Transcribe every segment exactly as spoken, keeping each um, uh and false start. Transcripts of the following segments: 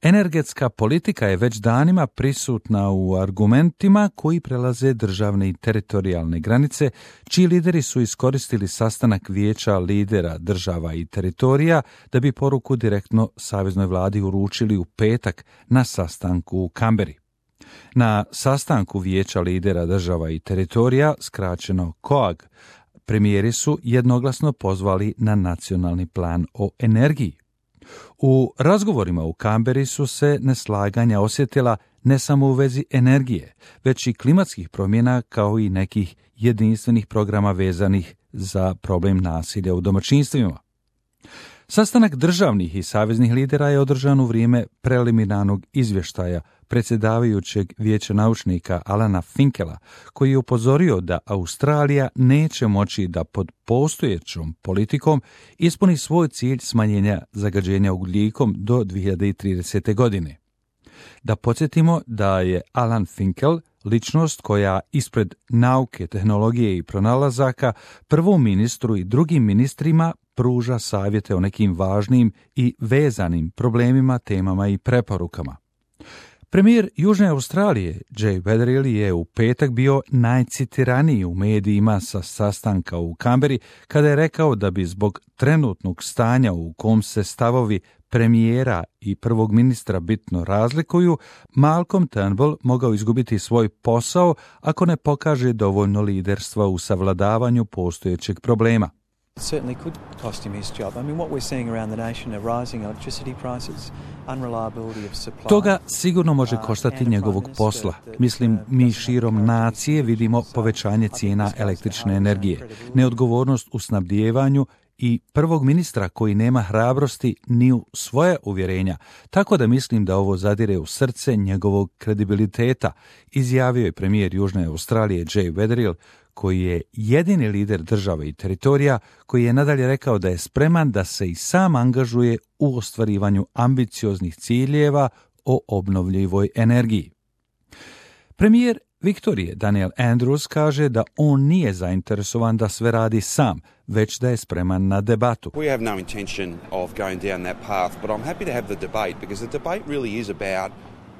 Energetska politika je već danima prisutna u argumentima koji prelaze državne i teritorijalne granice, čiji lideri su iskoristili sastanak vijeća lidera država i teritorija da bi poruku direktno saveznoj vladi uručili u petak na sastanku u Kamberi. Na sastanku vijeća lidera država i teritorija, skraćeno C O A G, premijeri su jednoglasno pozvali na nacionalni plan o energiji. U razgovorima u Kamberi su se neslaganja osjetila ne samo u vezi energije, već i klimatskih promjena kao i nekih jedinstvenih programa vezanih za problem nasilja u domaćinstvima. Sastanak državnih i saveznih lidera je održan u vrijeme preliminarnog izvještaja predsjedavajućeg vijeća naučnika Alana Finkela, koji je upozorio da Australija neće moći da pod postojećom politikom ispuni svoj cilj smanjenja zagađenja ugljikom do dvije hiljade tridesete. godine. Da podsjetimo da je Alan Finkel ličnost koja ispred nauke, tehnologije i pronalazaka prvom ministru i drugim ministrima pruža savjete o nekim važnim i vezanim problemima, temama i preporukama. Premijer Južne Australije, Jay Weatherill, je u petak bio najcitiraniji u medijima sa sastanka u Kamberi kada je rekao da bi zbog trenutnog stanja u kom se stavovi premijera i prvog ministra bitno razlikuju, Malcolm Turnbull mogao izgubiti svoj posao ako ne pokaže dovoljno liderstva u savladavanju postojećeg problema. It certainly could cost him his job. I mean, what we're seeing around the nation are rising electricity prices, unreliability of supply. Toga sigurno može koštati njegovog posla. Mislim, mi širom nacije vidimo povećanje cijena električne energije, neodgovornost u snabdijevanju i prvog ministra koji nema hrabrosti ni u svoje uvjerenja, tako da mislim da ovo zadire u srce njegovog kredibiliteta, izjavio je premijer Južne Australije Jay Weatherill, koji je jedini lider države i teritorija, koji je nadalje rekao da je spreman da se i sam angažuje u ostvarivanju ambicioznih ciljeva o obnovljivoj energiji. Premijer Viktorije Daniel Andrews kaže da on nije zainteresovan da sve radi sam, već da je spreman na debatu. We have no intention of going down that path, but I'm happy to have the debate because the debate really is about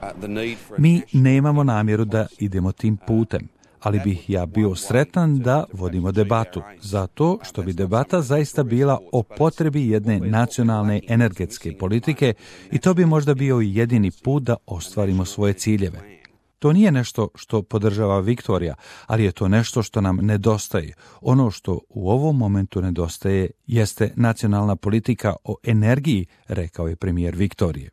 uh, the need for Mi nemamo namjeru da idemo tim putem, ali bih ja bio sretan da vodimo debatu, zato što bi debata zaista bila o potrebi jedne nacionalne energetske politike i to bi možda bio jedini put da ostvarimo svoje ciljeve. To nije nešto što podržava Viktorija, ali je to nešto što nam nedostaje. Ono što u ovom momentu nedostaje jeste nacionalna politika o energiji, rekao je premijer Viktorije.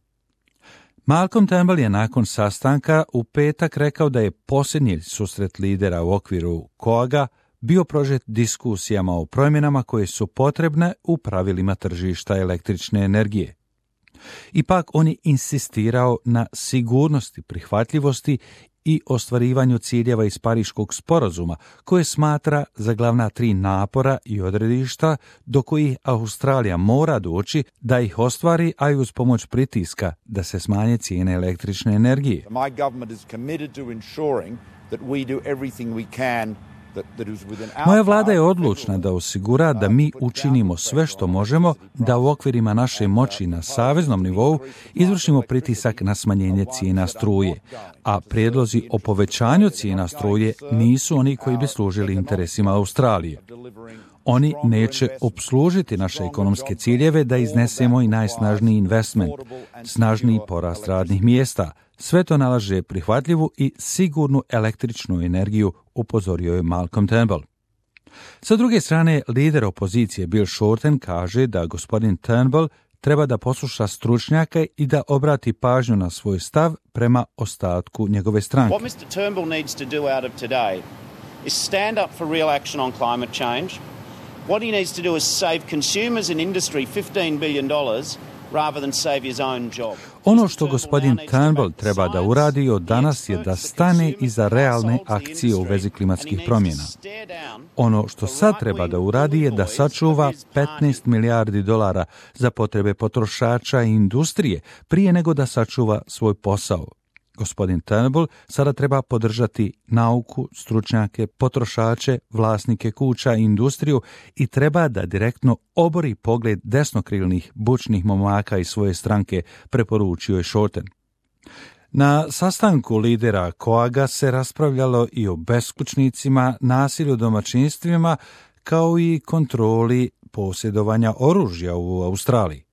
Malcolm Turnbull je nakon sastanka u petak rekao da je posljednji susret lidera u okviru C O A G-a bio prožet diskusijama o promjenama koje su potrebne u pravilima tržišta električne energije. Ipak on je insistirao na sigurnosti, prihvatljivosti i ostvarivanju ciljeva iz Pariškog sporazuma, koje smatra za glavna tri napora i odredišta do kojih Australija mora doći da ih ostvari, a i uz pomoć pritiska da se smanje cijene električne energije. My government is committed to ensuring that we do everything we can. Moja vlada je odlučna da osigura da mi učinimo sve što možemo da u okvirima naše moći na saveznom nivou izvršimo pritisak na smanjenje cijena struje, a prijedlozi o povećanju cijena struje nisu oni koji bi služili interesima Australije. Oni neće obslužiti naše ekonomske ciljeve da iznesemo i najsnažniji investment, snažniji porast radnih mjesta. Sve to nalaže prihvatljivu i sigurnu električnu energiju, upozorio je Malcolm Turnbull. Sa druge strane, lider opozicije Bill Shorten kaže da gospodin Turnbull treba da posluša stručnjake i da obrati pažnju na svoj stav prema ostatku njegove stranke. What mister Turnbull needs to do out of today is stand up for real action on climate change. What he needs to do is save consumers and industry fifteen billion dollars rather than save his own job. Ono što gospodin Turnbull treba da uradi od danas je da stane iza realne akcije u vezi klimatskih promjena. Ono što sad treba da uradi je da sačuva petnaest milijardi dolara za potrebe potrošača i industrije prije nego da sačuva svoj posao. Gospodin Turnbull sada treba podržati nauku, stručnjake, potrošače, vlasnike kuća i industriju i treba da direktno obori pogled desnokrilnih bučnih momaka iz svoje stranke, preporučio je Shorten. Na sastanku lidera Coaga se raspravljalo i o beskućnicima, nasilju u domaćinstvima, kao i kontroli posjedovanja oružja u Australiji.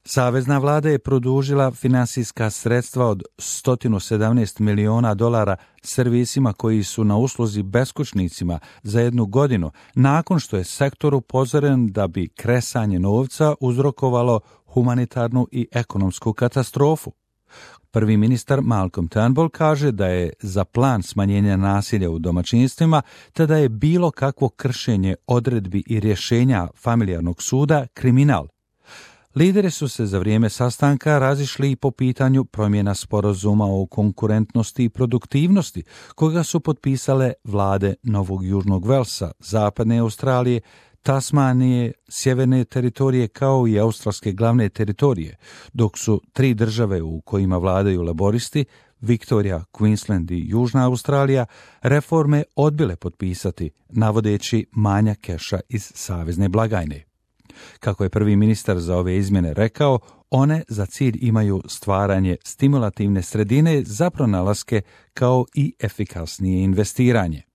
Savezna vlada je produžila finansijska sredstva od sto sedamnaest miliona dolara servisima koji su na usluzi beskućnicima za jednu godinu, nakon što je sektor upozoren da bi kresanje novca uzrokovalo humanitarnu i ekonomsku katastrofu. Prvi ministar Malcolm Turnbull kaže da je za plan smanjenja nasilja u domaćinstvima, te da je bilo kakvo kršenje odredbi i rješenja familijarnog suda kriminal. Lideri su se za vrijeme sastanka razišli i po pitanju promjena sporazuma o konkurentnosti i produktivnosti, koga su potpisale vlade Novog Južnog Velsa, Zapadne Australije, Tasmanije, Sjeverne teritorije kao i australske glavne teritorije, dok su tri države u kojima vladaju laboristi, Viktorija, Queensland i Južna Australija, reforme odbile potpisati, navodeći manjak keša iz savezne blagajne. Kako je prvi ministar za ove izmjene rekao, one za cilj imaju stvaranje stimulativne sredine za pronalaske kao i efikasnije investiranje.